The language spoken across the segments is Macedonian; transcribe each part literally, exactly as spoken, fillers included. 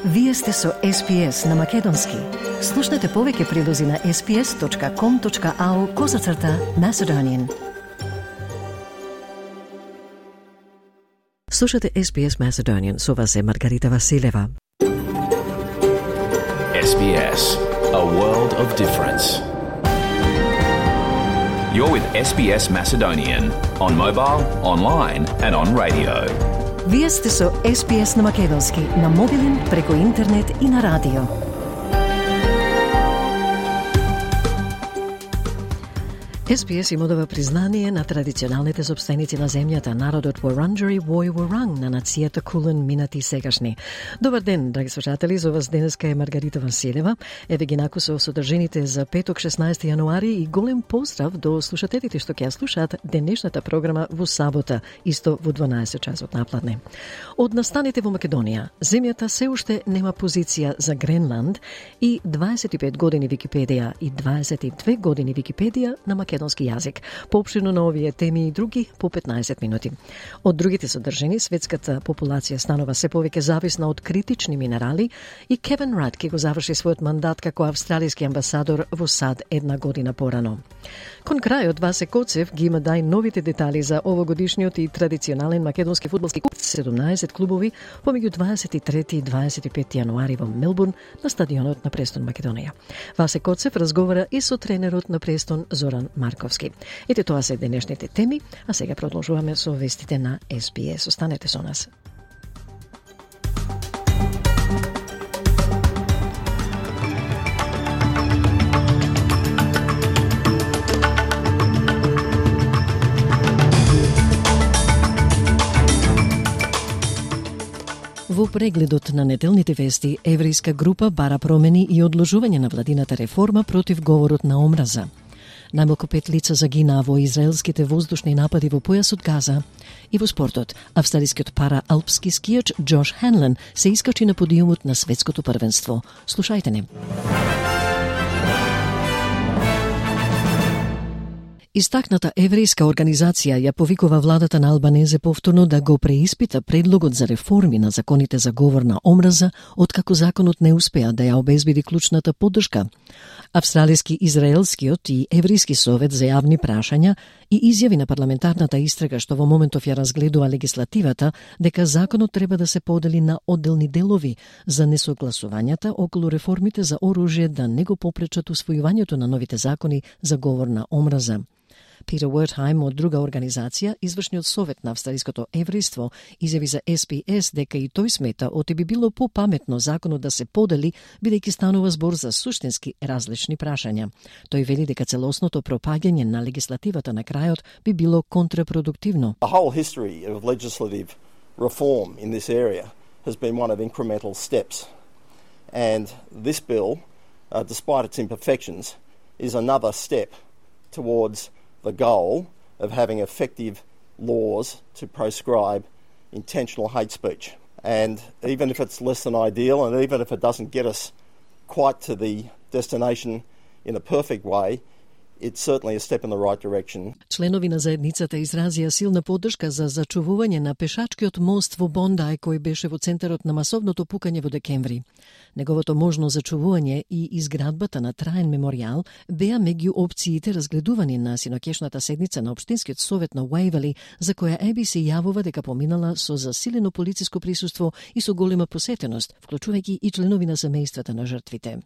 Вие сте со Ес Би Ес на Македонски. Слушнете повеќе прилози на ес би ес точка ком точка ау козацрта Macedonian. Слушате Ес Би Ес Macedonian, со вас е Маргарита Василева. Ес Би Ес, a world of difference. You're with Ес Би Ес Macedonian on mobile, online and on radio. Вие сте со Ес Би Ес на Македонски, на мобилен, преку интернет и на радио. Ес Би Ес им одава признание на традиционалните собственици на земјата, народот Wurundjeri Woi Wurrung на нацијата Кулен, минати и сегашни. Добар ден, драги слушатели, за вас денеска е Маргарита Василева. Еве ги наку со содржините за петок шеснаесети јануари и голем поздрав до слушателите што ќе ја слушаат денешната програма во сабота, исто во дванаесет часот напладне. Од настаните во Македонија, земјата се уште нема позиција за Гренланд и дваесет и пет години Википедија и дваесет и две години Википедија на македонски јазик. Поопширно на овие теми и други по петнаесет минути. Од другите содржини, светската популација станува се повеќе зависна од критични минерали и Кевин Рад ќе го заврши својот мандат како австралиски амбасадор во САД една година порано. Кон крајот Васе Коцев ги има дај новите детали за овогодишниот и традиционален македонски фудбалски куп, седумнаесет клубови помеѓу дваесет и трети и дваесет и пети јануари во Мелбурн на стадионот на Престон Македонија. Васе Коцев разговара и со тренерот на Престон Зоран Марковски. Ете, тоа се денешните теми, а сега продолжуваме со вестите на Ес Би Ес. Останете со нас. Во прегледот на неделните вести, еврејска група бара промени и одложување на владината реформа против говорот на омраза. Најмалку пет лица загинаа во израелските воздушни напади во појасот Газа. И во спортот, австралискиот пара-алпски скијач Джош Хенлен се искачи на подиумот на светското првенство. Слушајте не. Истакната еврејска организација ја повикува владата на Албанезе повторно да го преиспита предлогот за реформи на законите за говор на омраза, откако законот не успеа да ја обезбеди клучната поддршка. Австралиски, израелскиот и еврејски совет за јавни прашања и изјави на парламентарната истрага што во моментов ја разгледува легислативата дека законот треба да се подели на одделни делови за несогласувањата околу реформите за оружје да не го попречат усвојувањето на новите закони за говор на омраза. Питер Уертхајм од друга организација, извршниот совет на австралиското еврејство, изјави за Ес Би Ес дека и тој смета оти би било попаметно законот да се подели, бидејќи станува збор за суштински различни прашања. Тој вели дека целосното пропаѓање на легислативата на крајот би било контрапродуктивно. The whole history of legislative reform in this area has been one of incremental steps. And this bill, uh, despite its imperfections, is another step towards the goal of having effective laws to proscribe intentional hate speech. And even if it's less than ideal, and even if it doesn't get us quite to the destination in a perfect way, it's certainly a step in the right direction. Членови на заедницата изразија силна поддршка за зачувување на пешачкиот мост во Бондај кој беше во центарот на масовното пукање во декември. Неговото можно зачувување и изградбата на траен меморијал беа меѓу опциите разгледувани на синоќешната седница на Општинскиот совет на Уајвели, за која Ей Би Си јавува дека поминала со засилено полициско присуство и со голема посетеност, вклучувајќи и членови на семејствата на жртвите.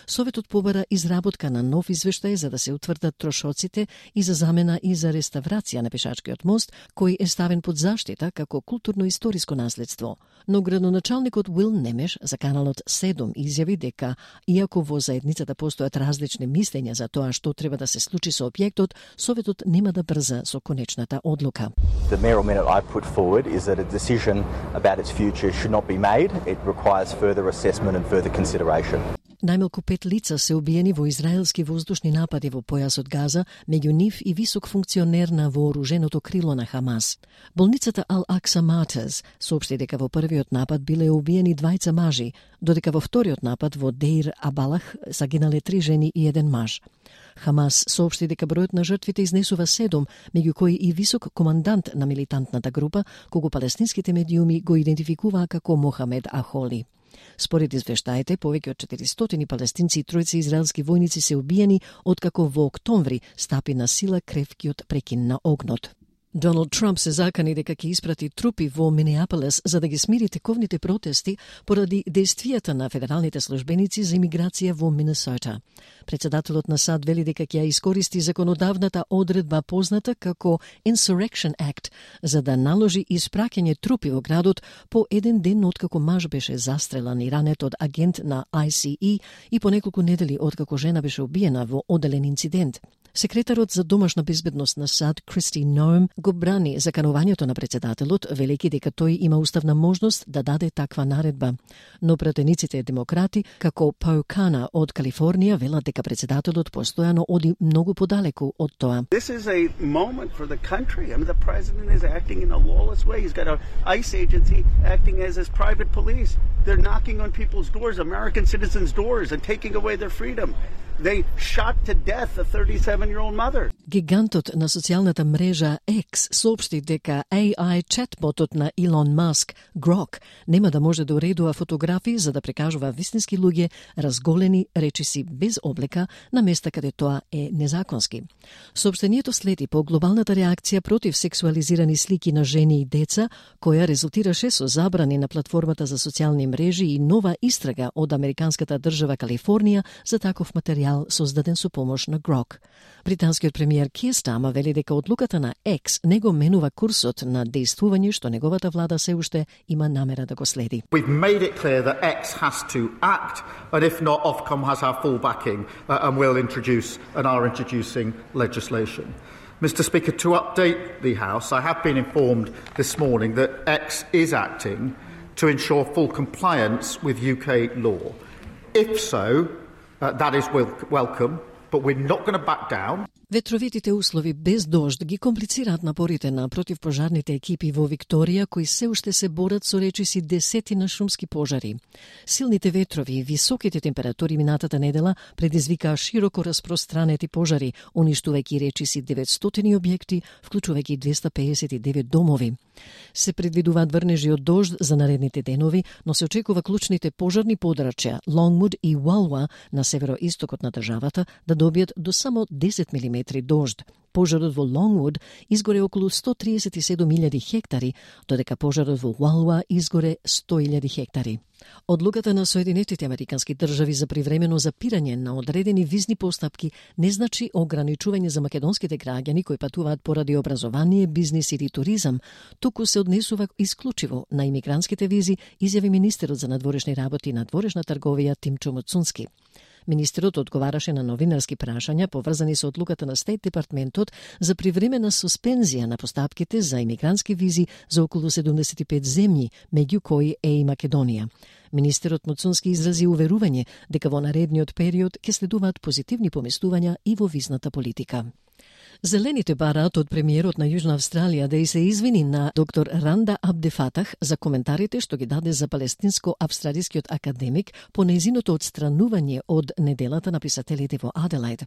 Советот побара изработка на нов извештај за да се утврдат трошоците и за замена и за реставрација на пешачкиот мост, кој е ставен под заштита како културно-историско наследство. Но градоначалникот Уил Немеш за каналот седум изјави дека, иако во заедницата постојат различни мислења за тоа што треба да се случи со објектот, Советот нема да брза со конечната одлука. The mayoral minute I put forward is that a decision about its future should not be made. It requires further assessment and further consideration. Најмалку пет лица се убиени во израелски воздушни напади во појасот Газа, меѓу нив и висок функционер на вооруженото крило на Хамас. Болницата Ал-Акса Матез соопшти дека во првиот напад биле убиени двајца мажи, додека во вториот напад во Деир Абалах загинале три жени и еден маж. Хамас соопшти дека бројот на жртвите изнесува седум, меѓу кои и висок командант на милитантната група, кого палестинските медиуми го идентификуваа како Мохамед Ахоли. Според извештаите, повеќе од четиристотини палестинци и тројца израелски војници се убиени откако во октомври стапи на сила кревкиот прекин на огнот. Доналд Трамп се закани дека ќе испрати трупи во Минеаполис за да ги смири тековните протести поради действијата на федералните службеници за имиграција во Минесота. Председателот на САД вели дека ќе ја искористи законодавната одредба позната како Insurrection Act за да наложи испраќање трупи во градот по еден ден откако маж беше застрелан и ранет од агент на I C E и по неколку недели откако жена беше убиена во одделен инцидент. Секретарот за домашна безбедност на САД Кристи Ноем го брани заканувањето на председателот, велејќи дека тој има уставна можност да даде таква наредба. Но пратениците демократи, како Пау Кана од Калифорнија, велат дека председателот постојано оди многу подалеку од тоа. This is a moment for the country. I mean, the president is acting in a lawless way. He's got an ICE agency acting as his private police. They're knocking on people's doors, American citizens' doors, and taking away their freedom. They shot to death a thirty-seven-year-old mother. Гигантот на социјалната мрежа X соопшти дека A I чатботот на Илон Маск, Grok, нема да може да уредува фотографии за да прикажува вистински луѓе разголени речиси без облека на места каде тоа е незаконски. Соопштението следи по глобалната реакција против сексуализирани слики на жени и деца, која резултираше со забрани на платформата за социјални мрежи и нова истрага од американската држава Калифорнија за таков материјал создаден со помош на Grok. Британскиот премиер Кир Стармер вели дека одлуката на X не го менува курсот на действување што неговата влада се уште има намера да го следи. We've made it clear that X has to act, and if not, Ofcom has our full backing uh, and will introduce and are introducing legislation. Mister Speaker, to update the House, I have been informed this morning that X is acting to ensure full compliance with U K law. If so, Uh, that is wel- welcome, but we're not going to back down. Ветровитите услови без дожд ги комплицираат напорите на противпожарните екипи во Викторија, кои се уште се борат со речиси десетина шумски пожари. Силните ветрови и високите температури минатата недела предизвикаа широко распространети пожари, уништувајќи речиси деветстотини објекти, вклучувајќи двеста пеесет и девет домови. Се предвидуваат врнежи од дожд за наредните денови, но се очекува клучните пожарни подрачја Лонгвуд и Уалуа на североистокот на државата да добијат до само десет милиметри дожд. Пожарот во Лонгвуд изгоре околу сто триесет и седум илјади хектари, додека пожарот во Уалуа изгоре сто илјади хектари. Одлуката на Соединетите американски држави за привремено запирање на одредени визни постапки не значи ограничување за македонските граѓани кои патуваат поради образование, бизнис или туризам, туку се однесува исклучиво на имигрантските визи, изјави министерот за надворешни работи и надворешна трговија Тимчо Муцунски. Министерот одговараше на новинарски прашања поврзани со одлуката на Стейт департментот за привремена суспензија на постапките за имигрантски визи за околу седумдесет и пет земји, меѓу кои е и Македонија. Министерот Муцунски изрази уверување дека во наредниот период ќе следуваат позитивни поместувања и во визната политика. Зелените бараат од премиерот на Јужна Австралија да и се извини на доктор Ранда Абдефатах за коментарите што ги даде за палестинско-австралискиот академик по нејзиното отстранување од неделата на писателите во Аделајд.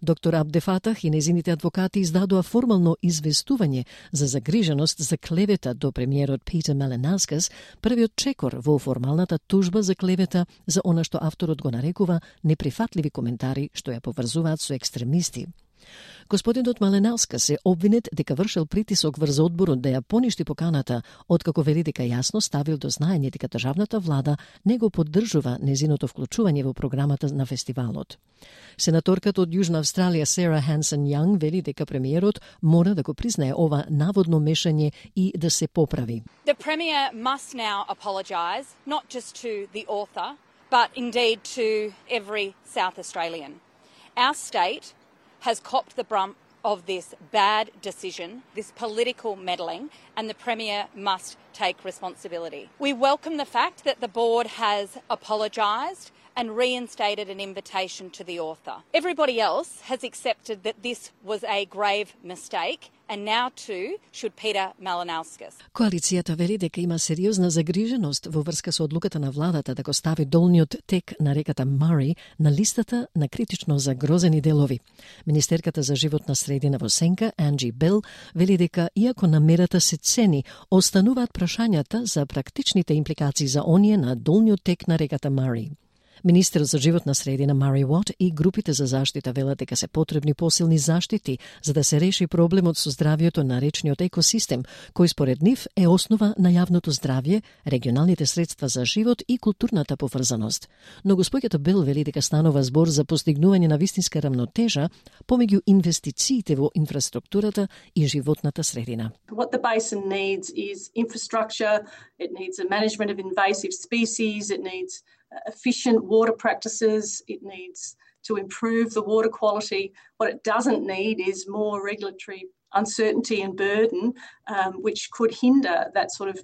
Доктор Абдефатах и нејзините адвокати издадоа формално известување за загриженост за клевета до премиерот Питер Маленаускас, првиот чекор во формалната тужба за клевета за она што авторот го нарекува неприфатливи коментари што ја поврзуваат со екстремисти. Господинот Маленауска се обвинет дека вршел притисок врз одборот да ја поништи поканата, откако вели дека јасно ставил до знаење дека државната влада не го поддржува незиното вклучување во програмата на фестивалот. Сенаторката од Јужна Австралија Сара Хансен Јанг вели дека премиерот мора да го признае ова наводно мешање и да се поправи. The Premier must now apologise, not just to the author, but indeed to every South Australian. Our state has copped the brunt of this bad decision, this political meddling, and the Premier must take responsibility. We welcome the fact that the board has apologised and reinstated an invitation to the author. Everybody else has accepted that this was a grave mistake, and now too should Peter Malinowskis. Коалицијата вели дека има сериозна загриженост во врска со одлуката на владата да го стави долниот тек на реката Мари на листата на критично загрозени делови. Министерката за животна средина во Сенка, Анджи Бел, вели дека иако намерата се цени, остануваат прашањата за практичните импликации за оние на долниот тек на реката Мари. Министерот за животна средина Мари Уот и групите за заштита велат дека се потребни посилни заштити за да се реши проблемот со здравјето на речниот екосистем, кој според нив е основа на јавното здравје, регионалните средства за живот и културната поврзаност. Но господјата Бел вели дека станува збор за постигнување на вистинска рамнотежа помеѓу инвестициите во инфраструктурата и животната средина. What the basin needs is infrastructure, it needs a management of invasive species, it needs efficient water practices, it needs to improve the water quality. What it doesn't need is more regulatory uncertainty and burden, um, which could hinder that sort of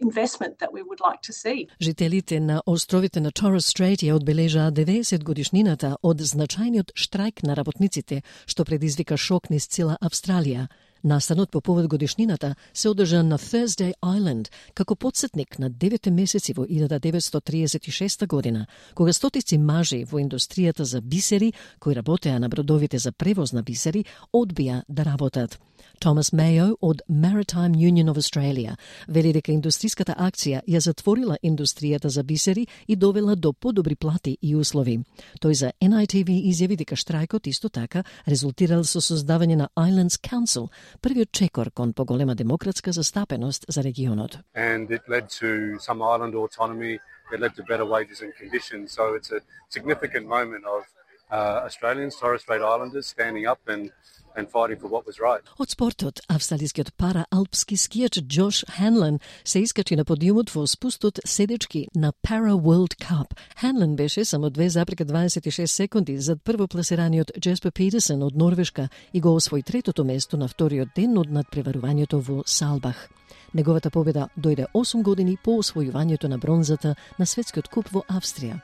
investment that we would like to see. Жителите на островите на Torres Strait ја одбележаа деветдесет годишнината од значајниот штрајк на работниците, што предизвика шок низ цела Австралија. Настанот по повод годишнината се одржа на Thursday Island како потсетник на девете месеци во илјада деветстотини триесет и шеста година, кога стотици мажи во индустријата за бисери, кои работеа на бродовите за превоз на бисери, одбија да работат. Томас Мејо од Maritime Union of Australia вели дека индустриската акција ја затворила индустријата за бисери и довела до подобри плати и услови. Тој за Ен Ај Ти Ви изјави дека штрајкот исто така резултирал со создавање на Islands Council, првиот чекор кон поголема демократска застапеност за регионот. And it led to some island autonomy, it led to better wages and conditions, so it's a significant moment of uh, Australians, Torres Strait Islanders standing up and and fighting for what was right. Од спортот, австралискиот пара-алпски скијач Джош Ханлен се искачи на подиумот во спустот седечки на Para World Cup. Ханлен беше само две запирка дваесет и шест секунди зад првопласираниот Джеспер Петерсен од Норвешка и го освои третото место на вториот ден од надпреварувањето во Салбах. Неговата победа дојде осум години по освојувањето на бронзата на светскиот куп во Австрија.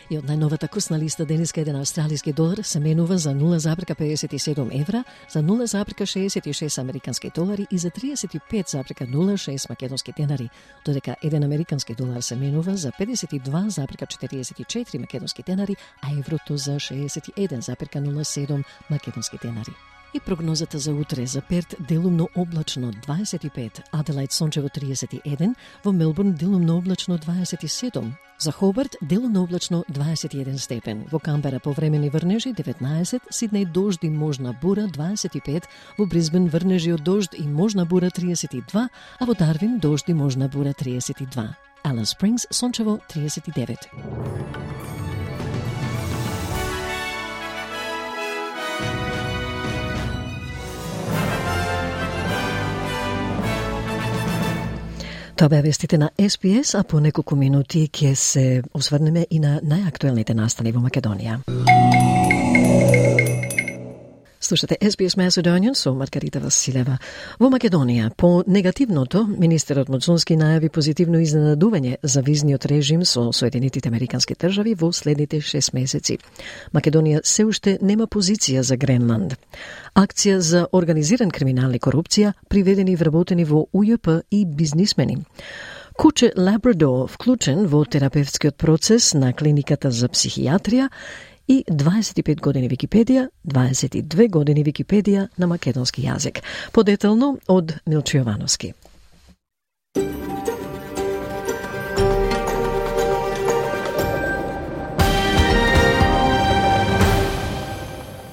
И од најновата курсна листа денеска еден австралиски долар се менува за нула запирка педесет и седум евра, за нула запирка шеесет и шест американски долари и за триесет и пет запирка нула шест македонски денари, додека еден американски долар се менува за педесет и два запирка четириесет и четири македонски денари, а еврото за шеесет и еден запирка нула седум македонски денари. И прогнозата за утре: за Перт делумно облачно дваесет и пет, Аделајд сончево триесет и еден, во Мелбурн делумно облачно дваесет и седум, за Хобарт делумно облачно дваесет и еден степен, во Камбера повремени врнежи деветнаесет, Сиднеј дожд и можна бура дваесет и пет, во Брисбен врнежи од дожд и можна бура триесет и два, а во Дарвин дожд и можна бура триесет и два. Алис Спрингс сончево триесет и девет. Тоа беа вестите на Ес Би Ес, а по неколку минути ќе се осврнеме и на најактуелните настани во Македонија. Слушате Ес Би Ес Macedonian со Маргарита Василева. Во Македонија, по негативното, министерот Муцунски најави позитивно изненадување за визниот режим со Соединетите Американски држави во следните шест месеци. Македонија се уште нема позиција за Гренланд. Акција за организиран криминал и корупција, приведени и вработени во У Ј П и бизнисмени. Куче Лабрадор вклучен во терапевтскиот процес на клиниката за психијатрија и дваесет и пет години Википедија, дваесет и две години Википедија на македонски јазик. Подетално од Милчо Јовановски.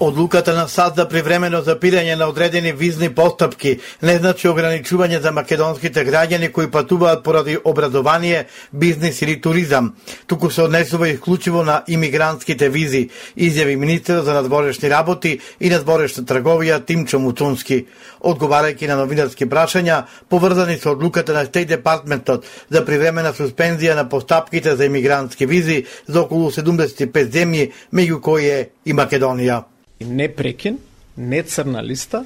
Одлуката на САД за привремено запирање на одредени визни постапки не значи ограничување за македонските граѓани кои патуваат поради образование, бизнис или туризам, туку се однесува исклучиво на имигрантските визи, изјави министерот за надворешни работи и надворешна трговија Тимчо Муцунски, одговарајќи на новинарски прашања поврзани со одлуката на Стејт Департментот за привремена суспензија на постапките за имигрантски визи за околу седумдесет и пет земји, меѓу кои е и Македонија. Не прекен, не црна листа,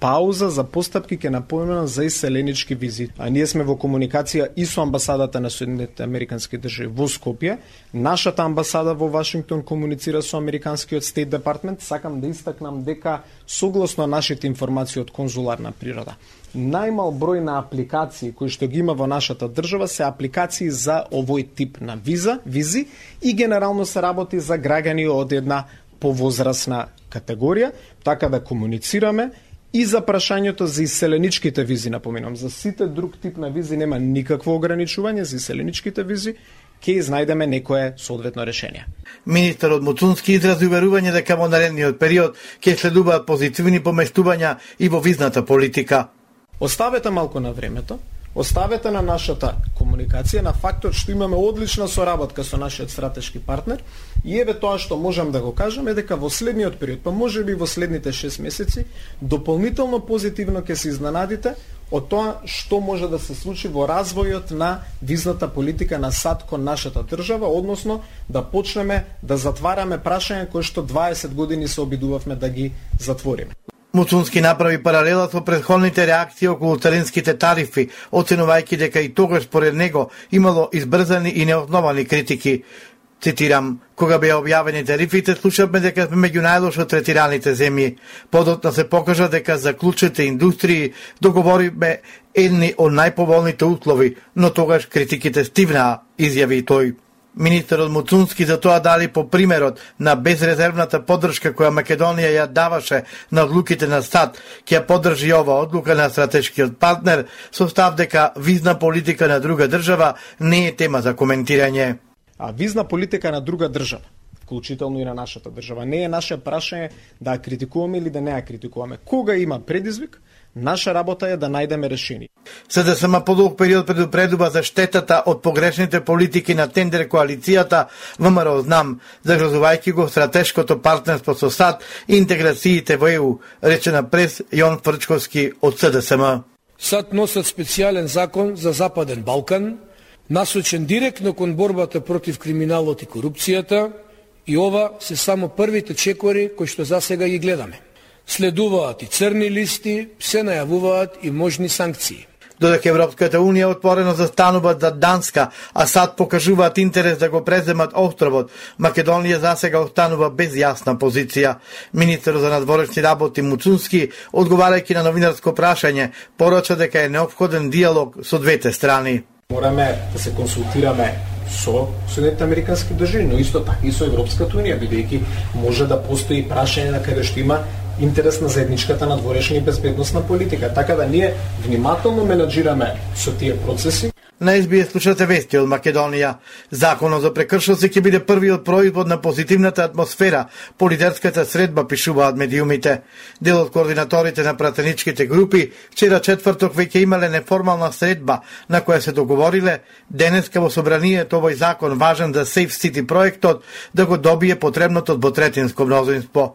пауза за постапки ќе напоменам за иселенички визи. А ние сме во комуникација и со амбасадата на Соединетите Американски држави во Скопје. Нашата амбасада во Вашингтон комуницира со американскиот Стейт Департмент. Сакам да истакнам дека согласно нашите информации од конзуларна природа, најмал број на апликации кои што ги има во нашата држава се апликации за овој тип на виза, визи и генерално се работи за граѓани од една повозрасна категорија, така да комуницираме и за прашањето за иселеничките визи, напоминам, за сите друг тип на визи нема никакво ограничување, за иселеничките визи ќе изнајдеме некое соодветно решение. Министерот Муцунски изрази уверување дека во наредниот период ќе следуваат позитивни поместувања и во визната политика. Оставете малку на времето, оставете на нашата комуникација, на фактот што имаме одлична соработка со нашиот стратешки партнер и еве тоа што можам да го кажам е дека во следниот период, па може би во следните шест месеци, дополнително позитивно ќе се изненадите од тоа што може да се случи во развојот на визната политика на САД кон нашата држава, односно да почнеме да затвараме прашања кои што дваесет години се обидувавме да ги затвориме. Муцунски направи паралела со претходните реакции околу царинските тарифи, оценувајќи дека и тогаш според него имало избрзани и неосновани критики. Цитирам, кога беа објавени тарифите, слушавме дека сме меѓу најлошо третираните земји. Подотна се покажа дека за клучните индустрии договориме едни од најповолните услови, но тогаш критиките стивнаа, изјави тој. Министерот Муцунски за тоа дали по примерот на безрезервната поддршка која Македонија ја даваше на одлуките на САД, ќе поддржи ова одлука на стратешкиот партнер со став дека визна политика на друга држава не е тема за коментирање. А визна политика на друга држава, вклучително и на нашата држава, не е наше прашање да ја критикуваме или да не ја критикуваме. Кога има предизвик, наша работа е да најдеме решение. СДСМ по долг период предупредува за штетата од погрешните политики на тендер коалицијата ВМРО знам, загрозувајќи го стратешкото партнерство со САД и интеграциите во Е У, рече на прес Јон Фрчковски од СДСМ. САД носат специјален закон за Западен Балкан, насочен директно кон борбата против криминалот и корупцијата, и ова се само првите чекори кои што засега ги гледаме. Следуваат и црни листи, се најавуваат и можни санкции. Додека Европската Унија отворено застануваат за Данска, а САД покажуваат интерес да го преземат островот, Македонија засега останува без јасна позиција. Министерот за надворешни работи Муцунски, одговарајќи на новинарско прашање, порача дека е неопходен диалог со двете страни. Мораме да се консултираме со Соединетите Американски држави, но исто така и со Европската Унија, бидејќи може да постои прашање на каде што има интерес на заедничката надворешна и безбедносна политика. Така да ние внимателно менаџираме со тие процеси. На Ес Би Ес слушате вести од Македонија. Законот за прекршоци ќе биде првиот производ на позитивната атмосфера по лидерската средба, пишуваат медиумите. Дел од координаторите на пратеничките групи вчера четврток веќе имале неформална средба на која се договориле денеска во собранието овој закон важен за Safe City проектот да го добие потребното двотретинско мнозинство.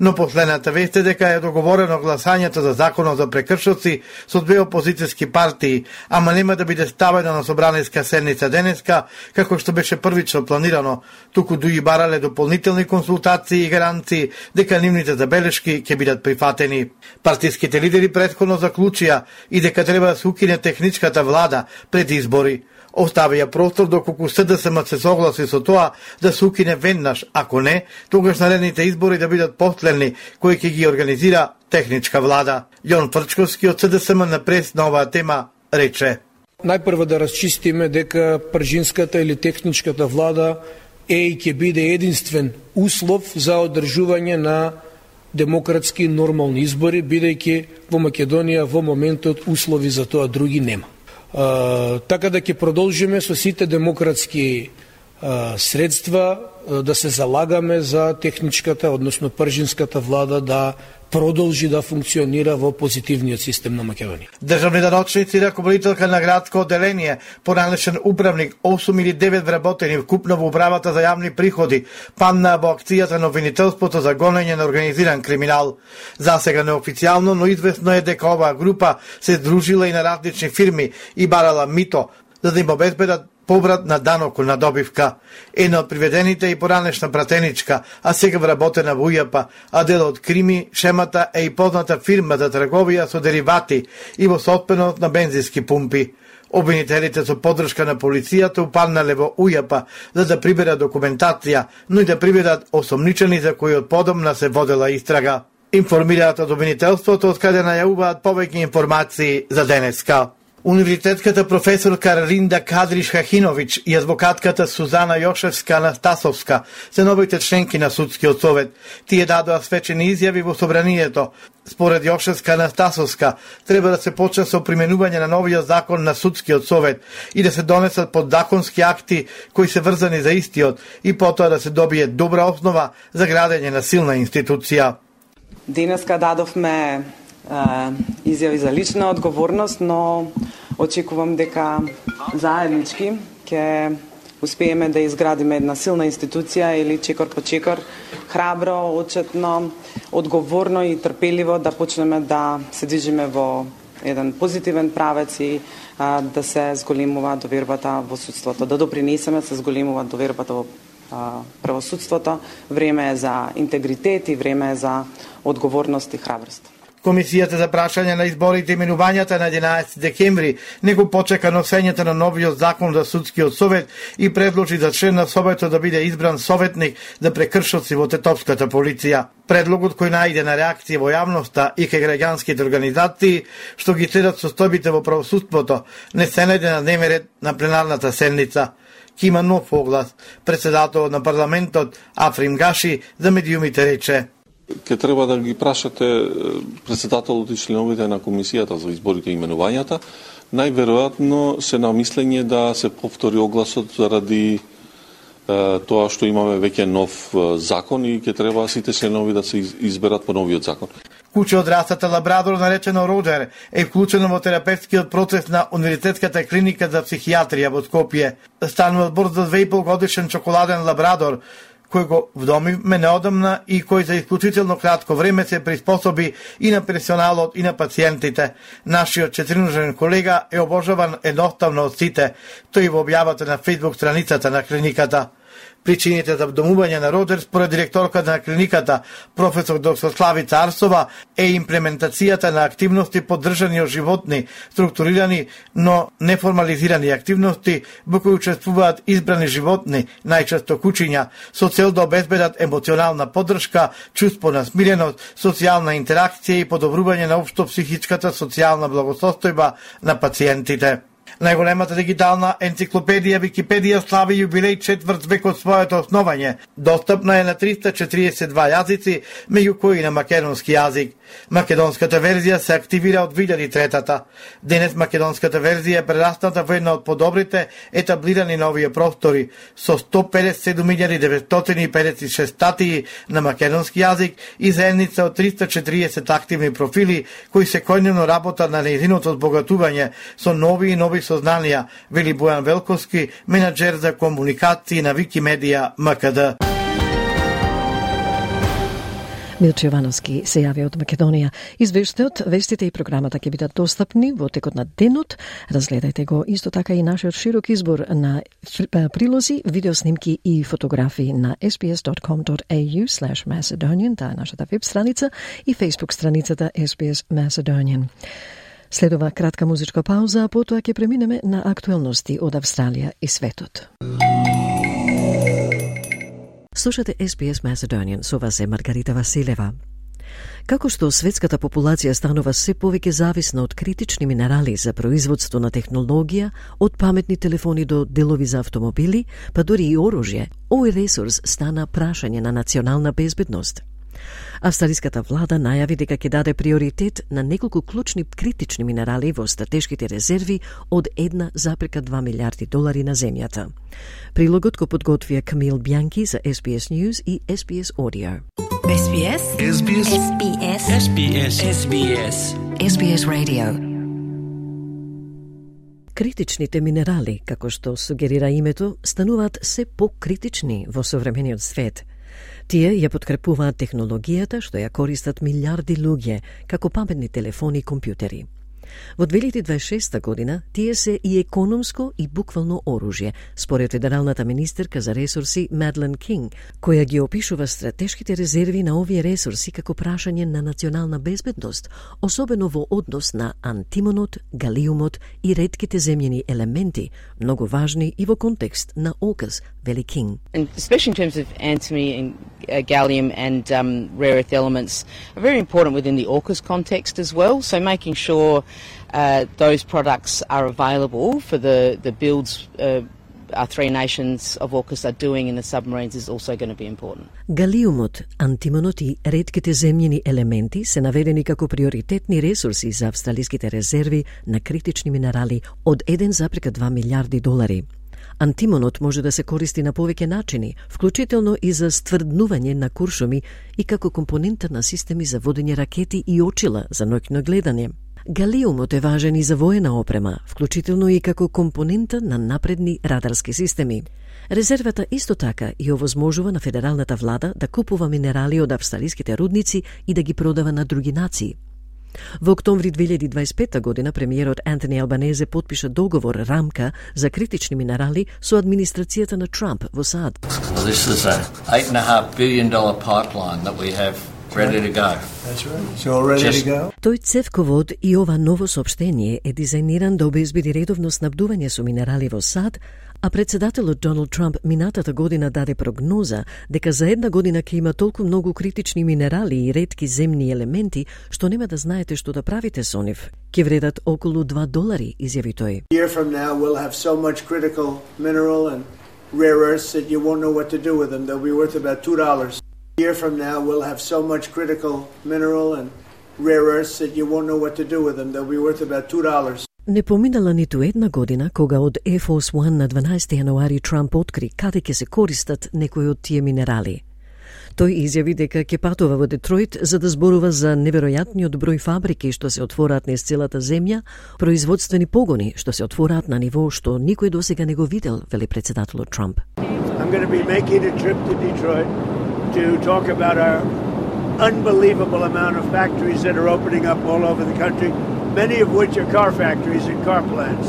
Но последната вест е дека е договорено гласањето за законот за прекршоци со две опозицијски партии, ама нема да биде ставено на собраниска седница денеска, како што беше првично планирано, туку дуи барале дополнителни консултации и гаранции дека нивните забелешки ќе бидат прифатени. Партиските лидери претходно заклучија и дека треба да се укине техничката влада пред избори. Оставија простор доколку СДСМ се согласи со тоа да се укине веднаш, ако не, тогаш наредните избори да бидат последни кои ќе ги организира техничка влада. Јон Фрчковски од СДСМ на прес на оваа тема рече: Најпрво да расчистиме дека пржинската или техничката влада е и ќе биде единствен услов за одржување на демократски нормални избори, бидејќи во Македонија во моментот услови за тоа други нема. Uh, така да ќе продолжиме со сите демократски uh, средства uh, да се залагаме за техничката, односно пржинската влада да продолжи да функционира во позитивниот систем на Македонија. Државни научници и раководителка на градско одделение, поранешен управник, осум или девет вработени вкупно во управата за јавни приходи, паднаа во акцијата на обвинителството за гонење на организиран криминал. Засега неофицијално, но известно е дека оваа група се здружила и на различни фирми и барала мито, за да им обезбедат поврат на данок на добивка. Една од приведените и поранешна пратеничка, а сега вработена во УЈАП, а дел од крими, шемата е и позната фирма за трговија со деривати и во сотпенот на бензински пумпи. Обвинителите со поддршка на полицијата упаднале во УЈАП за да приберат документација, но и да приберат осомничени за кои од подобна се водела истрага. Информираат од обвинителството, од каде најавуваат повеќе информации за денеска. Универзитетската професорка Ринда Кадриш-Хахиновиќ и адвокатката Сузана Јошевска-Анастасовска се новите членки на Судскиот совет. Тие дадоа свечени изјави во собранието. Според Јошевска-Анастасовска, треба да се почне со применување на новиот закон на Судскиот совет и да се донесат подзаконски акти кои се врзани за истиот и потоа да се добие добра основа за градење на силна институција. Денеска дадовме изјави за лична одговорност, но очекувам дека заеднички ќе успееме да изградиме една силна институција или чекор по чекор, храбро, отчетно, одговорно и трпеливо да почнеме да се движиме во еден позитивен правец и а, да се зголемува довербата во судството, да допринесеме се зголемува довербата во а, правосудството. Време е за интегритет и време е за одговорност и храброст. Комисијата за прашање на изборите и именувањата на единаесети декември не го почека носењето на новиот закон за Судскиот совет и предложи за член на советот да биде избран советник за прекршоци во тетовската полиција. Предлогот кој најде на реакција во јавноста и кај граѓанските организации што ги следат состојбите во правосудството не се најде на дневен ред на пленарната седница. Кима нов оглас, председателот на парламентот Африм Гаши за медиумите рече: Ке треба да ги прашате председателот и членовите на комисијата за изборите и именувањата. Најверојатно се на мислење да се повтори огласот заради е, тоа што имаме веќе нов закон и ке треба сите членови да се изберат по новиот закон. Куче од расата лабрадор наречено Роджер е вклучено во терапевтскиот процес на Универзитетската клиника за психијатрија во Скопје. Станува збор за две и пол годишен чоколаден лабрадор кој го вдомивме неодамна и кој за исклучително кратко време се приспособи и на персоналот и на пациентите. Нашиот четириножен колега е обожаван едноставно од сите, тој во објавата на фејсбук страницата на клиниката. Причините за вдомување на Роджер според директорката на клиниката, професор доктор Славица Арсова, е имплементацијата на активности поддржани од животни, структурирани, но неформализирани активности во кои учествуваат избрани животни, најчесто кучиња, со цел да обезбедат емоционална поддршка, чувство на смиреност, социјална интеракција и подобрување на општо психичката социјална благосостојба на пациентите. Најголемата дигитална енциклопедија Википедија слави јубилеј четврт век од своето основање. Достапна е на триста четириесет и два јазици, меѓу кои на македонски јазик. Македонската верзија се активира од две илјади и трета. Денес македонската верзија е прерасната во една од подобрите етаблирани на овие простори, со сто педесет и седум илјади деветстотини и педесет и шест статии на македонски јазик и заедница од триста четириесет активни профили кои секојдневно работат на нејзиното збогатување со нови и нови сознанија, вели Бојан Велковски, менаџер за комуникации на Викимедија МКД. Милче Јовановски се јави од Македонија. Извештајот, вестите и програмата ќе бидат достапни во текот на денот. Разгледајте го исто така и нашиот широк избор на прилози, видеоснимки и фотографии на ес би ес dot com dot a u slash macedonian, таа е нашата веб страница, и Facebook страницата ес би ес Macedonian. Следува кратка музичка пауза, а потоа ќе преминеме на актуелности од Австралија и светот. Слушате ес би ес Macedonian, со вас е Маргарита Василева. Како што светската популација станува се повеќе зависна од критични минерали за производство на технологија, од паметни телефони до делови за автомобили, па дури и оружје, овој ресурс стана прашање на национална безбедност. Австралиската влада најави дека ќе даде приоритет на неколку клучни критични минерали во стратешките резерви од една запрека два милиарди долари на земјата. Прилогот го подготвија Камил Бјанки за ес би ес News и ес би ес Audio. ес би ес ес би ес ес би ес ес би ес ес би ес ес би ес Radio. Критичните минерали, како што сугерира името, стануваат се покритични во современиот свет. Тие ја подкрепуваат технологијата што ја користат милиарди луѓе, како паметни телефони и компјутери. Во две илјади дваесет и шеста година тие се и економско и буквално оружје, според федералната министерка за ресурси Мадлен Кинг, која ги опишува стратешките резерви на овие ресурси како прашање на национална безбедност, особено во однос на антимонот, галиумот и ретките земјени елементи, многу важни и во контекст на ОКАС, вели Кинг. And especially in terms of antimony and uh, gallium and um, rare earth elements are very important within the AUKUS context as well. So making sure uh, those products are available for the, the builds uh, our three nations of AUKUS are doing in the submarines is also going to be important. Галиумот, антимонот и ретките земјени елементи се наведени како приоритетни ресурси за австралиските резерви на критични минерали од еден запирка два милиарди долари. Антимонот може да се користи на повеќе начини, вклучително и за стврднување на куршуми и како компонента на системи за водење ракети и очила за ноќно гледање. Галиумот е важен и за воена опрема, вклучително и како компонента на напредни радарски системи. Резервата исто така и овозможува на федералната влада да купува минерали од австралиските рудници и да ги продава на други нации. Во октомври две илјади дваесет и пета година премиерот Антони Албанезе потпиша договор рамка за критични минерали со администрацијата на Трамп во САД. Well, this is a eight and a half billion dollar pipeline that we have ready to go. That's right. It's all ready Just... to go. Тој цевковод и ова ново соопштение е дизајниран да обезбеди редовно снабдување со минерали во САД, а председателот Доналд Трамп минатата година даде прогноза дека за една година ќе има толку многу критични минерали и ретки земни елементи што нема да знаете што да правите со нив. Ќе вредат околу два долари, изјави тој. A year from now we'll have so much critical mineral and rare earths that you won't know what to do with them. They'll be worth about two dollars. A year from now we'll have so much critical mineral and rare earths that you won't know what to do with them. They'll be worth about two dollars. Не поминала ниту една година кога од Air Force One на дванаесети јануари Трамп откри каде ќе се користат некои од тие минерали. Тој изјави дека ќе патува во Детройт за да зборува за неверојатниот број фабрики што се отвораат низ целата земја, производствени погони што се отвораат на ниво што никој досега не го видел, вели председателот Трамп. I'm going to be making a trip to Detroit to talk about our unbelievable amount of factories that are opening up all over the country, many of which are car factories and car plants.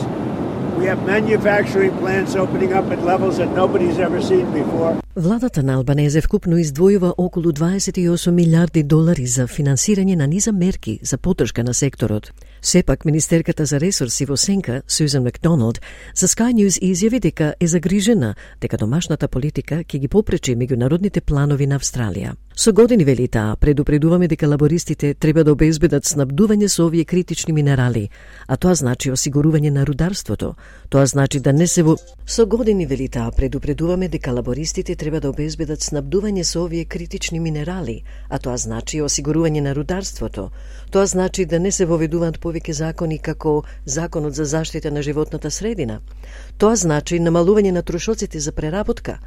We have manufacturing plants opening up at levels that nobody's ever seen before. Владата на Албанезе вкупно издвојува околу дваесет и осум милиарди долари за финансирање на низа мерки за поддршка на секторот. Сепак, министерката за ресурси во Сенка, Сюзан Макдоналд, за Sky News изјави дека е загрижена дека домашната политика ќе ги попречи меѓународните планови на Австралија. Со години, вели таа, предупредуваме дека лабористите треба да обезбедат снабдување со овие критични минерали, а тоа значи осигурување на рударството. Тоа значи да не се во... Со години, вели таа, предупредуваме дека лабористите треба да обезбедат снабдување со овие критични минерали, а тоа значи осигурување на рударството. Тоа значи да не се воведуваат повеќе закони како Законот за заштита на животната средина. Тоа значи намалување на трошоците за преработка.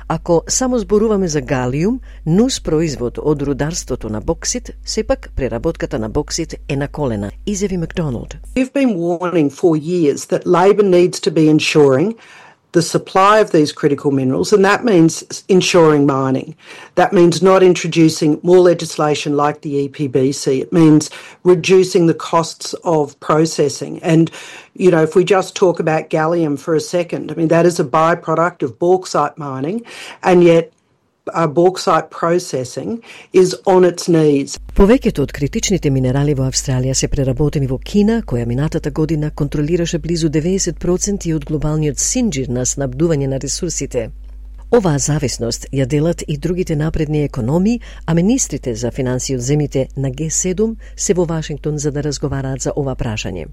Ако само зборуваме за галиум, нус производ од рударството на боксит, сепак преработката на боксит е на колена, изјави Макдоналд. We've been warning for years that Labor needs to be ensuring the supply of these critical minerals, and that means ensuring mining. That means not introducing more legislation like the E P B C. It means reducing the costs of processing. And, you know, if we just talk about gallium for a second, I mean, that is a byproduct of bauxite mining, and yet Uh, bauxite processing is on its knees. Повеќето од критичните минерали во Австралија се преработени во Кина, која минатата година контролираше близу деветдесет проценти од глобалниот синџир на снабдување на ресурсите. Оваа зависност ја делат и другите напредни економии, а министрите за финансии од земјите на Г седум се во Вашингтон за да разговараат за ова прашање.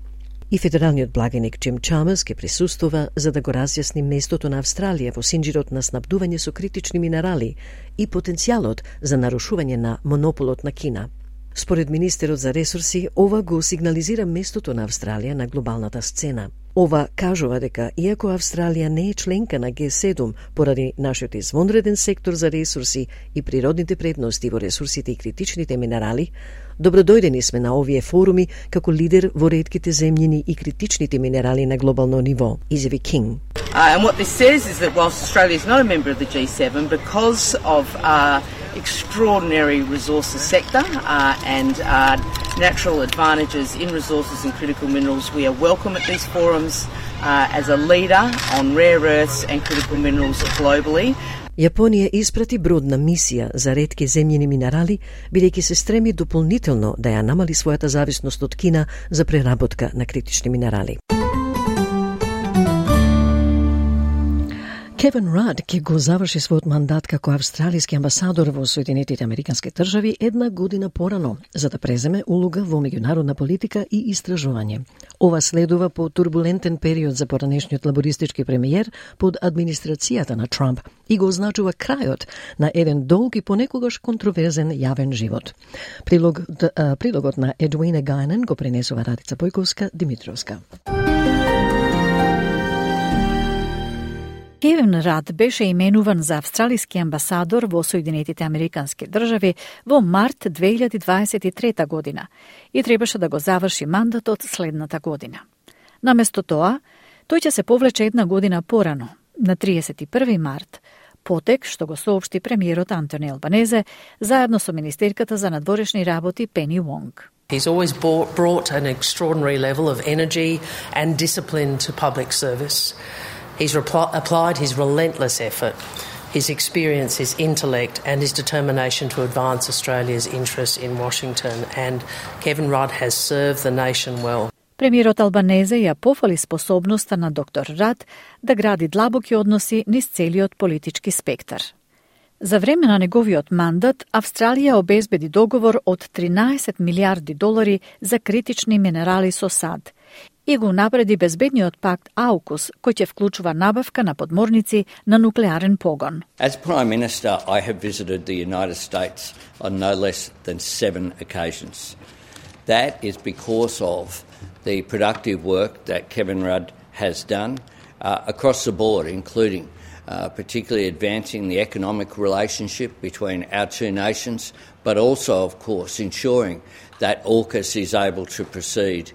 И федералниот благиник Джим Чамерс ке присуствува за да го разјасни местото на Австралија во синџирот на снабдување со критични минерали и потенцијалот за нарушување на монополот на Кина. Според министерот за ресурси, ова го сигнализира местото на Австралија на глобалната сцена. Ова кажува дека, иако Австралија не е членка на Г седум поради нашиот извонреден сектор за ресурси и природните предности во ресурсите и критичните минерали, добродојдени сме на овие форуми како лидер во ретките земјини и критичните минерали на глобално ниво, изјави Кинг. Uh, and what this says is that whilst Australia is not a member of the G seven, because of uh, extraordinary resources sector uh, and uh, natural advantages in resources and critical minerals. We are welcome at these forums uh, as a leader on rare earths and critical minerals globally. Јапонија испрати бродна мисија за ретки земјини минерали, бидејќи се стреми дополнително да ја намали својата зависност од Кина за преработка на критични минерали. Кевин Рад ќе го заврши својот мандат како австралиски амбасадор во Соединетите Американски држави една година порано, за да преземе улога во меѓународна политика и истражување. Ова следува по турбулентен период за поранешниот лабористички премиер под администрацијата на Трамп и го означува крајот на еден долг и понекогаш контроверзен јавен живот. Прилог, прилогот на Едвина Гајнен го пренесува Радица Појковска-Димитровска. Кевин Рад беше именуван за австралиски амбасадор во Соединетите Американски држави во март две илјади дваесет и трета година и требаше да го заврши мандатот следната година. Наместо тоа, тој ќе се повлече една година порано, на триесет и први март, потек што го соопшти премиерот Антони Албанезе заедно со министерката за надворешни работи Пени Вонг. He's always brought an extraordinary level of energy and discipline to public service. He's repl- applied his relentless effort, his experience, his intellect and his determination to advance Australia's interests in Washington, and Kevin Rudd has served the nation well. Премиерот Албанезе ја пофали способноста на доктор Рад да гради длабоки односи низ целиот политички спектар. За време на неговиот мандат, Австралија обезбеди договор од тринаесет милиарди долари за критични минерали со САД и го напреди безбедниот пакт АУКУС, кој ќе вклучува набавка на подморници на нуклеарен погон. As Prime Minister, I have visited the United States on no less than seven occasions. That is because of the productive work that Kevin Rudd has done uh, across the board, including uh, particularly advancing the economic relationship between our two nations, but also, of course, ensuring that AUKUS is able to proceed.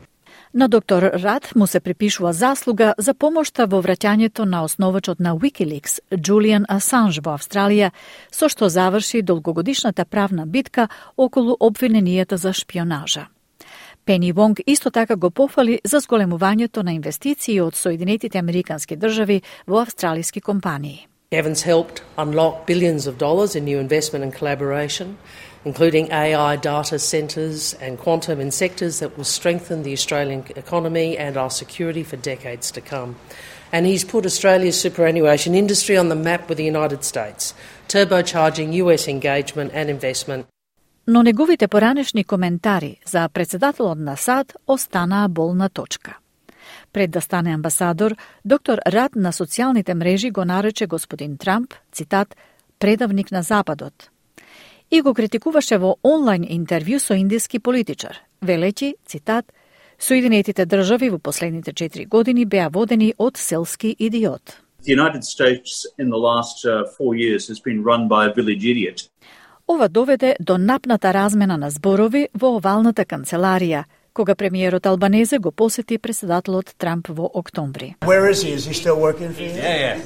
На доктор Рад му се припишува заслуга за помошта во враќањето на основачот на Wikileaks, Julian Assange во Австралија, со што заврши долгогодишната правна битка околу обвиненијата за шпионажа. Пени Вонг исто така го пофали за зголемувањето на инвестиции од Соединетите Американски држави во австралиски компании. Kevin's helped unlock billions of dollars in new investment and collaboration, including A I data centres and quantum in sectors that will strengthen the Australian economy and our security for decades to come. And he's put Australia's superannuation industry on the map with the United States, turbocharging U S engagement and investment. Но неговите поранешни коментари за председателот на САД останаа болна точка. Пред да стане амбасадор, доктор Рад на социјалните мрежи го нарече господин Трамп, цитат, предавник на Западот. И го критикуваше во онлайн интервју со индиски политичар, велејќи, цитат, Соединетите држави во последните четири години беа водени од селски идиот. The United States in the last uh, four years has been run by a village idiot. Ова доведе до напната размена на зборови во овалната канцеларија, кога премиерот Албанезе го посети председателот Трамп во октомври. Where is he? Is he still working for you? Yeah, yeah.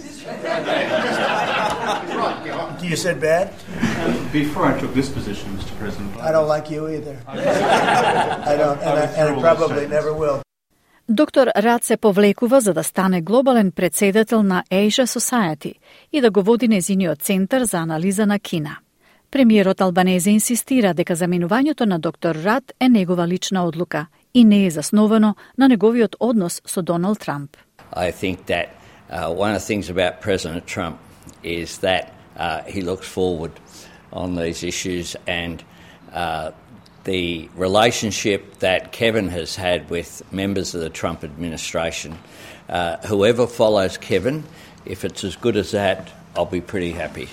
You said bad? Before I took this position, Mister President. I don't like you either. I don't, and I, and I probably never will. Доктор Рад се повлекува за да стане глобален председател на Asia Society и да го води незиниот центар за анализа на Кина. Премиерот Албанезе инсистира дека заменувањето на доктор Рад е негова лична одлука и не е засновано на неговиот однос со Доналд Трамп. I think that uh, one of the things about President Trump is that uh, he looks forward on these issues, and uh, the relationship that Kevin has had with members of the Trump administration, uh, whoever follows Kevin, if it's as good as that, I'll be pretty happy.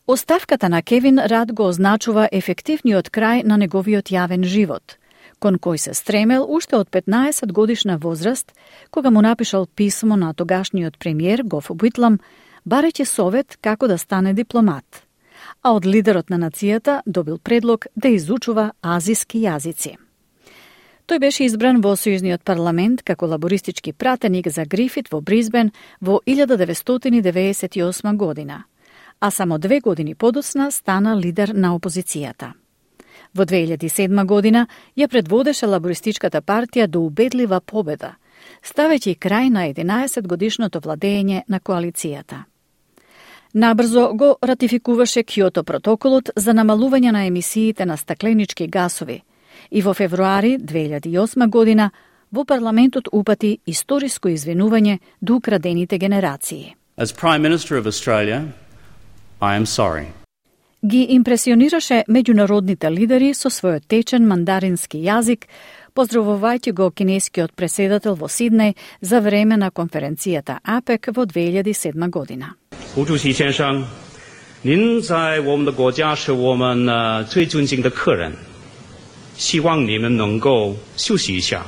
Оставката на Кевин Рад го означува ефективниот крај на неговиот јавен живот, кон кој се стремел уште од петнаесет годишна возраст, кога му напишал писмо на тогашниот премиер Гоф Уитлам, барејќи совет како да стане дипломат, а од лидерот на нацијата добил предлог да изучува азиски јазици. Тој беше избран во Сојузниот парламент како лабористички пратеник за Грифит во Бризбен во илјада деветстотини деветдесет и осма година, а само две години подоцна стана лидер на опозицијата. Во две илјади и седма година ја предводеше лабористичката партија до убедлива победа, ставејќи крај на единаесет годишното владење на коалицијата. Набрзо го ратификуваше Кјото протоколот за намалување на емисиите на стакленички гасови и во февруари две илјади и осма година во парламентот упати историско извинување до украдените генерации. As Prime Minister of Australia, I am sorry. Ги импресионираше меѓународните лидери со својот течен мандарински јазик, поздравувајќи го кинескиот преседател во Сиднеј за време на конференцијата АПЕК во две илјади и седма година. 胡主席先生，您在我们的国家是我们呃最尊敬的客人，希望你们能够休息一下。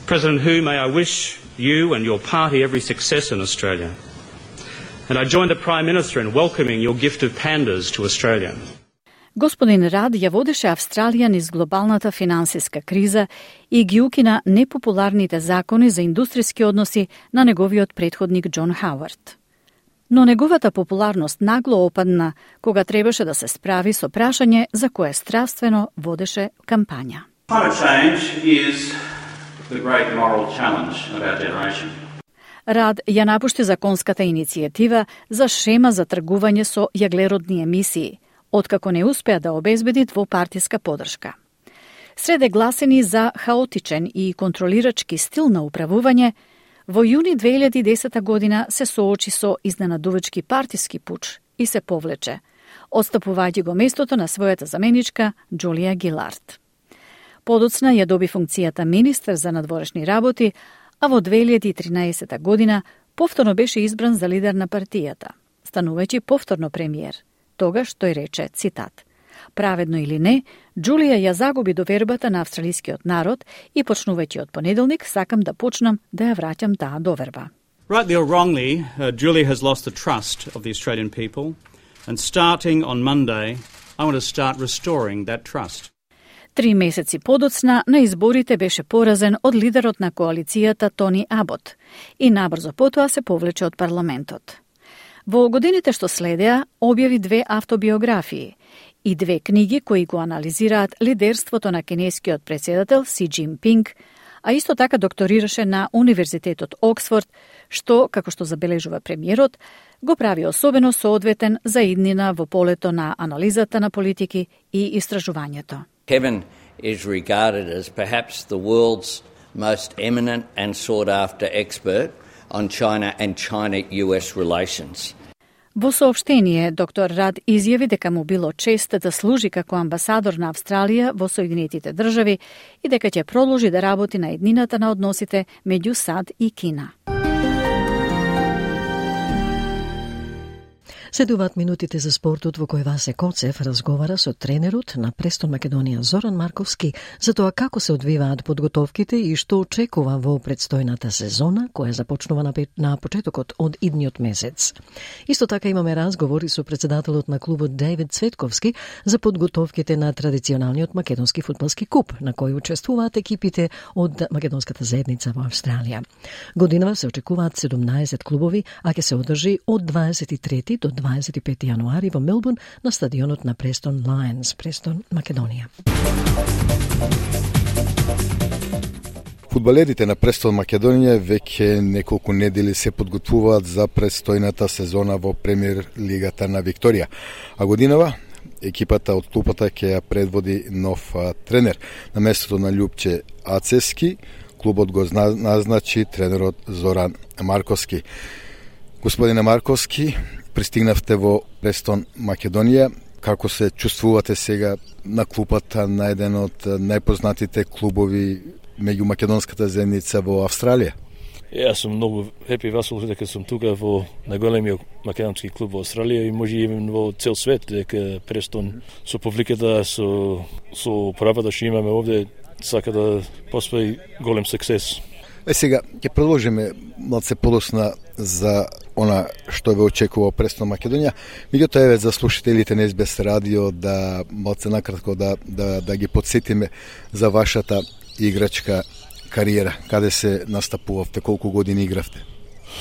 President Hu, may I wish you and your party every success in Australia. And I join the Prime Minister in welcoming your gift of pandas to Australia. Господин Рад ја водеше Австралија низ глобалната финансиска криза и ги укина непопуларните закони за индустријски односи на неговиот предходник Џон Хауард. Но неговата популарност нагло опадна кога требаше да се справи со прашање за кое стравствено водеше кампања. Climate change is the great moral challenge of our generation. Рад ја напушти законската иницијатива за шема за тргување со јаглеродни емисии, откако не успеа да обезбеди двопартиска подршка. Среде гласени за хаотичен и контролирачки стил на управување, во јуни две илјади и десета година се соочи со изненадувачки партиски пуч и се повлече, отстапувајќи го местото на својата заменичка Џулија Гилард. Подоцна ја доби функцијата министер за надворешни работи, а во две илјади и тринаесета година повторно беше избран за лидер на партијата, станувајќи повторно премиер. Тогаш тој рече, цитат, праведно или не, Џулија ја загуби довербата на австралискиот народ и почнувајќи од понеделник сакам да почнам да ја враќам таа доверба. Rightly or wrongly, uh, Julie has lost the trust of the Australian people, and starting on Monday, I want to start restoring that trust. Три месеци подоцна на изборите беше поразен од лидерот на коалицијата Тони Абот и набрзо потоа се повлече од парламентот. Во годините што следеа, објави две автобиографии и две книги кои го анализираат лидерството на кинескиот председател Си Џинпинг, а исто така докторираше на Универзитетот Оксфорд, што, како што забележува премиерот, го прави особено соодветен за иднина во полето на анализата на политики и истражувањето. Kevin is regarded as perhaps the world's most eminent and sought after expert on China and China-U S relations. Во соопштение, доктор Рад изјави дека му било чест да служи како амбасадор на Австралија во Соединетите држави и дека ќе продолжи да работи на еднината на односите меѓу САД и Кина. Следуваат минутите за спортот во кој Васе Коцев разговара со тренерот на Престон Македонија Зоран Марковски за тоа како се одвиваат подготовките и што очекува во предстојната сезона која започнува на, на почетокот од идниот месец. Исто така имаме разговори со председателот на клубот Дејвид Цветковски за подготовките на традиционалниот македонски фудбалски куп на кој учествуваат екипите од македонската заедница во Австралија. Годинава се очекуваат седумнаесет клубови, а ќе се одржи од дваесет и трети до дваесет и пети јануари во Мелбурн на стадионот на Престон Лајнс, Престон, Македонија. Фудбалерите на Престон Македонија веќе неколку недели се подготвуваат за престојната сезона во Премиер лигата на Викторија. А годинава екипата од клупата ќе ја предводи нов а, тренер. На местото на Љупче Ацески, клубот го назначи тренерот Зоран Марковски. Господине Марковски, пристигнавте во Престон Македонија. Како се чувствувате сега на клупата на еден од најпознатите клубови меѓу македонската заедница во Австралија? Јас сум многу хепи весел дека сум тука во најголемиот македонски клуб во Австралија и може и во цел свет, дека Престон со публиката, со, со правата што имаме овде, сака да поспои голем суксес. Е сега ќе продолжиме малце подосна за она што ве очекува Престон Македонија. Меѓутоа еве за слушателите на Ес Би Ес радио да малце накратко да да да ги потсетиме за вашата играчка кариера. Каде се настапувавте, колку години игравте?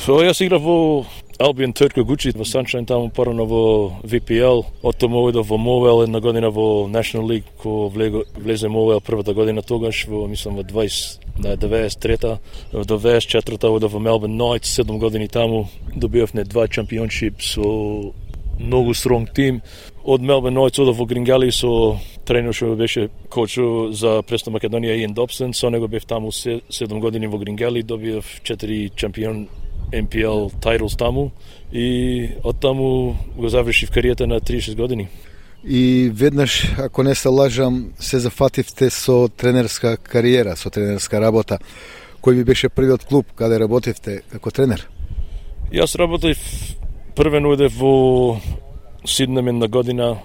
So, јас играв во Albion Turko Gucci во Sunshine таму порано во V P L, оттаму одов во Мовел една година во National League, ко влезе Мовел првата година тогаш во мислам во дваесет деветдесет и трета, во деветдесет и четврта одов во Melbourne Knights, седум години таму добивавме два чемпионшип со многу стронг тим. Од Melbourne Knights одов во Грингали со тренер што беше коч за Престон Македонија Иан Добсон, со него бев таму седум години во Грингали, добив четири чемпион N P L titles таму и од таму го завршив кариерата на триесет години. И веднаш, ако не се лажам, се зафативте со тренерска кариера, со тренерска работа. Кој би беше првиот клуб каде работевте како тренер? Јас работев првен одев во Сиднем една година,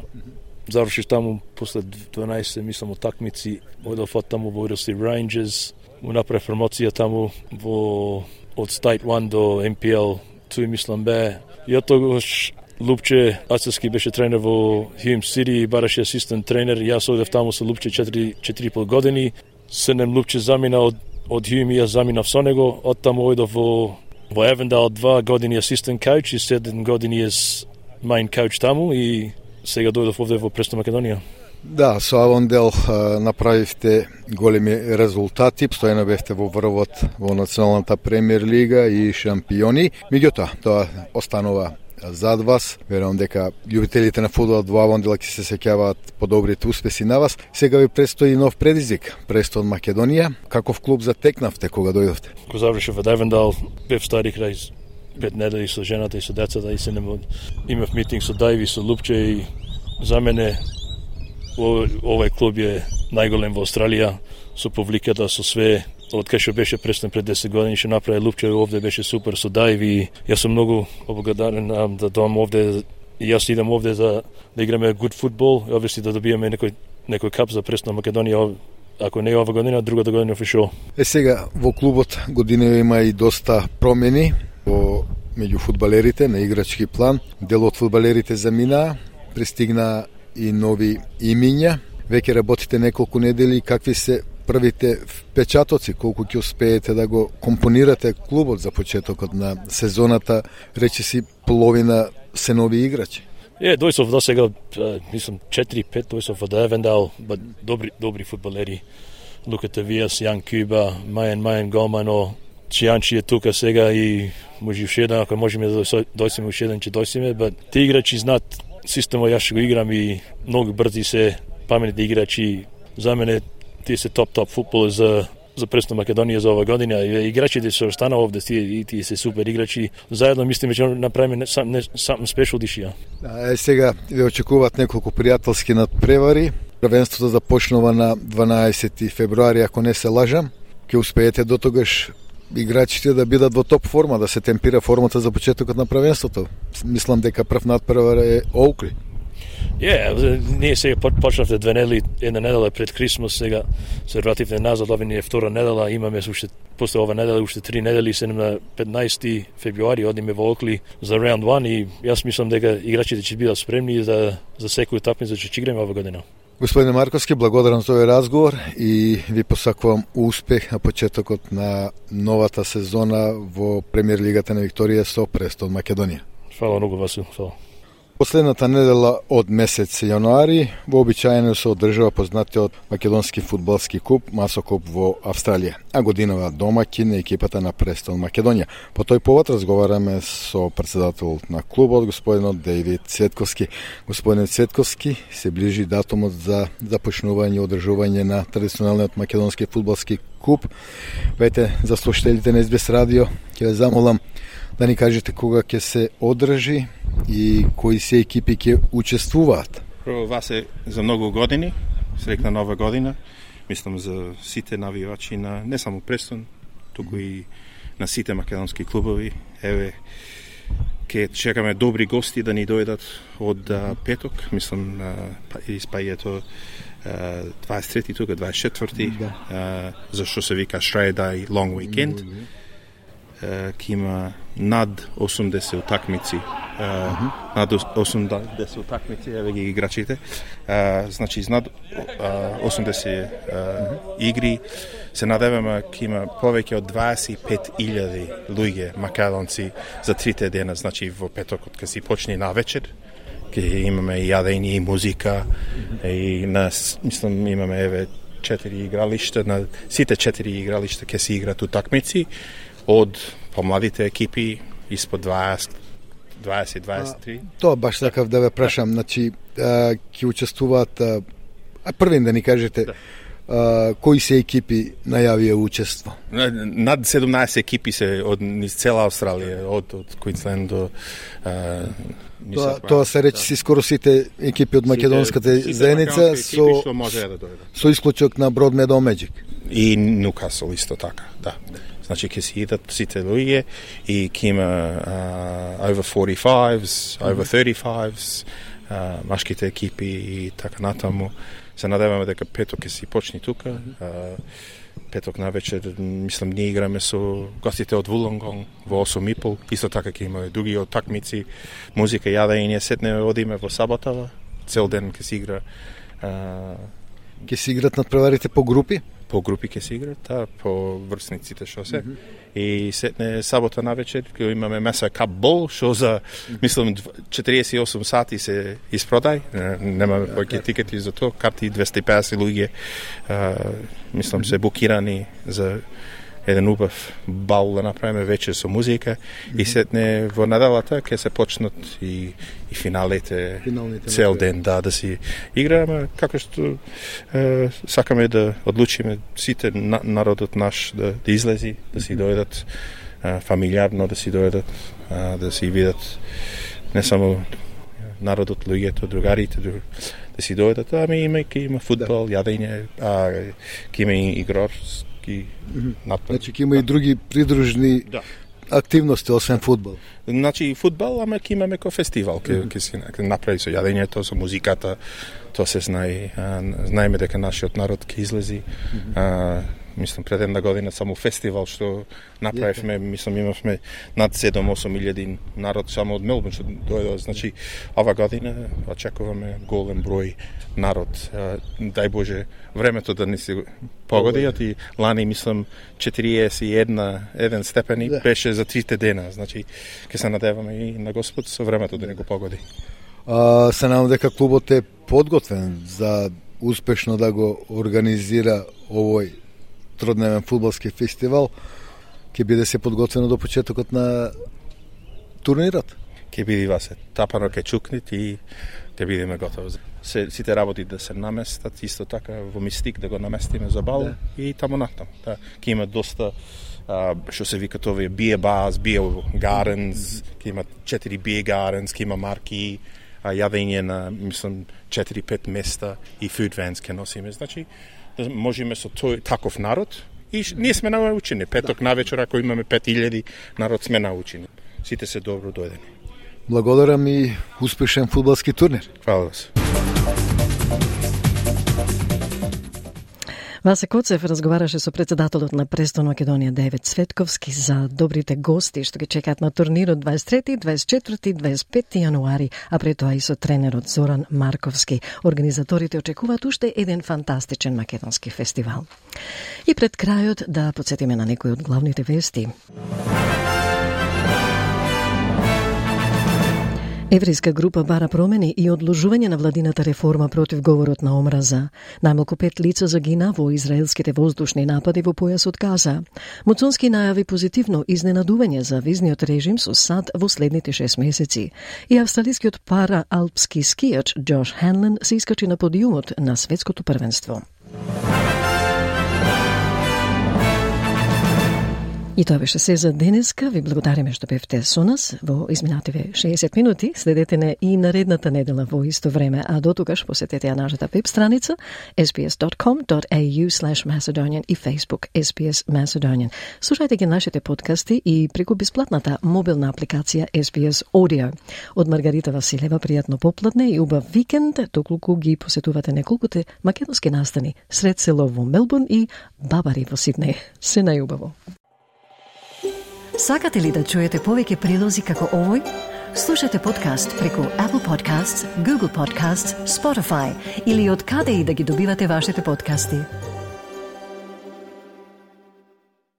завршив таму после дванаесет мислам утакмици, одев од таму во Уилси Рейнџерс, му направив промоција таму во од State one до N P L two мислам бе. И од тогаш Лупче Ацески беше тренер во Hume City, бараше асистент тренер. Јас одев таму со Лупче четири и пол години. Седнем Лупче замина од од Hume и јас заминав со него. Од таму одев во во Avondale два години асистент коуч и седем години ес main coach таму и сега дојдов овде во Престон Македонија. Да, со Авондел направивте големи резултати, постојано бевте во врвот во националната премиер лига и шампиони. Меѓутоа, тоа останува зад вас. Верувам дека љубителите на фудбалот во Авондел ќе се сеќаваат по добрите успеси на вас. Сега ви престои нов предизвик, Престон Македонија. Каков клуб затекнавте кога дојдовте? Кога завршив во Авондел, бев стари крај пет недели со жената и со децата и се нема имав митинг со Дајви, со Лупче и за мене овој клуб е најголем во Австралија, со публиката, со све. Од кај што беше Престон пред десет години, што направи Лупче овде беше супер со Дајви. Јас сум многу облагодарен да доам овде и јас идам овде за да играме good фудбал, и обвиси да добиеме некој некој кап за Престон Македонија. Ако не е ова година, другата година фишо. Е сега во клубот година има и доста промени во меѓу фудбалерите на играчки план. Дел од фудбалерите заминаа, пристигна и нови имиња. Веќе работите неколку недели. Какви се првите впечатоци, колку ќе успеете да го компонирате клубот за почетокот на сезоната, речиси половина се нови играчи? Е, дојсов до сега, мислам, четири пет дојсов од Авондел, добри, добри фудбалери. Луката Вијас, Јан Куба, Мајан Мајан Голмано, Чијанчи е тука сега и може уште еден, ако можеме да дојсиме уште еден, ќе дојсиме, but ти играчи знаат системот, јас ќе го играм и многу брзи се, паметни играчи. За мене тие се топ-топ футбол за за Престон Македонија за ова година. Играчите се останаа овде, тие, тие се супер играчи. Заедно мислиме ќе направиме something special this year. Е, сега ве очекуваат неколку пријателски надпревари. Првенството започнува на дванаесети февруари, ако не се лажам. Ќе успеете до тогаш играчите да бидат во топ форма, да се темпира формата за почетокот на првенството. Мислам дека прв надпревар е Оукли. Е, yeah, ние сега почнавте две недели, една недела пред Крисмас, сега се вративме назад, ова ни е втора недела, имаме уште после ова недела уште три недели, се на петнаесети февруари одиме во Окли за раунд one и јас мислам дека играчите ќе бидат спремни за за секој утакмица што ќе играме ова година. Господине Марковски, благодарам за овој разговор и ви посакувам успех на почетокот на новата сезона во Премиер лигата на Викторија со Престон Македонија. Фала многу, Васил, фала. Последната недела од месец јануари вообичаено се одржува познатиот македонски фудбалски куп Масокуп во Австралија, а годинава домаќин е екипата на Престон Македонија. По тој повод разговараме со претседателот на клубот, господинот Дејвид Цветковски. Господине Цветковски, се ближи датумот за започнување и одржување на традиционалниот македонски фудбалски куп. Вете, за слушателите на Ес Би Ес радио, ќе ве замолам да ни кажете кога ќе се одржи и кои се екипи ќе учествуваат. Прво вас е за многу години, срекна нова година. Мислам за сите навивачи на не само Престон, туку и на сите македонски клубови. Еве, ќе чекаме добри гости да ни дојдат од а, петок, мислам и спајето дваесет и трети тука, дваесет и четврти, да. а, зашто се вика Australia Day Long Weekend. ќе има над осумдесет утакмици. Uh, над осумдесет утакмици, еве ги играчите. Uh, значи, над uh, осумдесет uh, игри се надеваме ќе има повеќе од дваесет и пет илјади луѓе македонци за трите дена, значи во петокот ќе си почне на вечер. Ќе имаме и јадење и музика и на мислам имаме еве четири игралишта, на сите четири игралишта ќе се играат утакмици од помладите екипи испод дваесет дваесет дваесет и три. Тоа баш сакав да ве прашам, значи ќе учествуваат, а првин да ни кажете, да. А, кои се екипи најавија учество? Над седумнаесет екипи се од низ цела Австралија, од од Квинсленд до а, Тоа, тоа се речи да. Скоро сите екипи од македонската заедница со да со исклучок на Broadmeadow Magic и Ньукасл исто така, да. Значи ќе си идат сите луѓе и ќе има uh, over forty-fives, over thirty-fives, uh, машките екипи и така натаму. Се надеваме дека петок ќе си почне тука. Uh, петок на вечер, мислам, ние играме со гостите од Вулонгонг во осум и пол. Исто така ќе има други такмици, музика, јадење, сетне одиме во саботава. Цел ден ќе си игра. Uh, ќе си играт надпреварите по групи? По групи ќе се играт, та, по врсниците што се. Mm-hmm. И сетне сабота на вечер ќе имаме Меса Кап Бол, што за, mm-hmm. мислам, четириесет и осум сати се испродај. Немаме yeah, повеќе okay. тикети за тоа, карти двесте и педесет луѓе, uh, мислам, mm-hmm. се букирани за еден убав бал да направиме вечер со музика. Mm-hmm. И сетне во неделата ќе се почнат и, и финалите, Финалните цел ден, да, да си играме, како што е, сакаме да одлучиме сите на, народот наш да, да излези, да си дојдат е, фамилиарно, да си дојдат, е, да си видат не само народот, луѓето, другарите, да си дојдат, ами има, ќе има фудбал, да. Јадење, а, ќе има и игрорски Mm-hmm. Значи ќе има и други придружни да. Активности освен фудбал. Значи фудбал, ама ќе имаме ко фестивал, ќе ќе си направи со јадењето, со музиката, тоа се знае, знаеме дека нашиот народ ќе излези. Mm-hmm. А, мислам пред една година само фестивал што направивме, yeah. мислам имавме над седум-осум илјади народ само од Мелбурн што дојде, значи ова година очекуваме голем број народ. Дај Боже времето да не се погоди, и лани мислам четириесет и еден степени yeah. беше за трите дена, значи ќе се надеваме и на Господ со времето да не го погоди. А, се надам дека клубот е подготвен за успешно да го организира овој тродневен фудбалски фестивал, ќе биде се подготвено до почетокот на турнирот. Ќе биде васе тапано ке чукнит и ќе бидеме готови. Се, сите работи да се наместат, исто така во Мистик да го наместиме за бал да. И таму натам. Да, ќе има доста а, што се викат овие beer bars, beer gardens, ќе има четири beer gardens, ќе има марки, а, јадење на, мислам, четири-пет места и food vans ќе носиме. Значи, да можеме со тој таков народ и ние сме научени. Петок да. На вечер, ако имаме пет илјади народ, сме научени. Сите се добро дојдени. Благодарам и успешен фудбалски турнир. Фала се. Васе Коцев разговараше со председателот на Престон Македонија Девет Цветковски за добрите гости што ги чекаат на турнирот дваесет и трети, дваесет и четврти, дваесет и петти јануари, а пред тоа и со тренерот Зоран Марковски. Организаторите очекуваат уште еден фантастичен македонски фестивал. И пред крајот да подсетиме на некои од главните вести. Еврејска група бара промени и одложување на владината реформа против говорот на омраза. Најмалку пет лица загина во израелските воздушни напади во појасот Газа. Муцунски најави позитивно изненадување за визниот режим со САД во следните шест месеци. И австралискиот пара-алпски скијач Джош Ханлен се искачи на подиумот на светското првенство. И тоа беше се за денеска. Ви благодариме што бевте со нас во изминативе шеесет минути. Следете не и наредната недела во исто време, а дотогаш посетете ја нашата веб страница ес би ес dot com dot a u slash macedonian и Facebook ес би ес Macedonian. Слушајте ги нашите подкасти и преку бесплатната мобилна апликација ес би ес Audio. Од Маргарита Василева пријатно попладне и убав викенд, доколку ги посетувате неколкуте македонски настани сред село во Мелбурн и Бабари во Сиднеј. Се најубаво. Сакате ли да чуете повеќе прилози како овој? Слушате подкаст преку Apple Podcasts, Google Podcasts, Spotify или од каде и да ги добивате вашите подкасти.